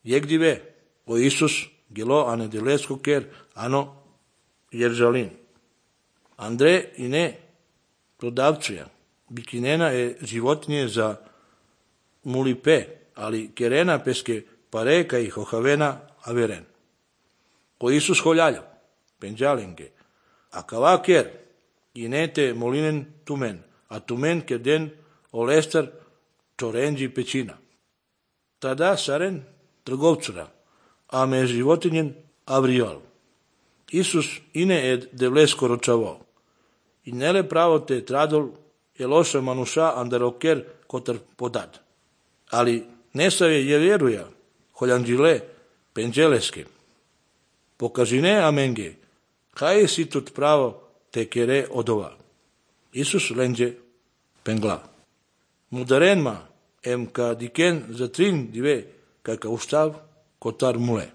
Jegdive, o Isus, gelo ane dilesko ker, ano Jerusalem. Андре и не продавчија, бикинена е животње за мулипе, али керена песке парека и хохавена аверен. О Исус холјаља, пенџаленге, а кава кер, и не те молинен тумен, а тумен керден олестар чоренджи печина. Тада сарен трговцура, а ме животинен авриол. Исус и не е девлеско рочаво. И неле право те традол е лоша мануша андарокер котар подат. Али не саве ја веруја, холјанџиле, пенџелеске. Покажине аменге, кај си тут право те кере одова. Исус ленџе пенгла. Мударенма ем ка дикен за трин диве, кака устав котар муле.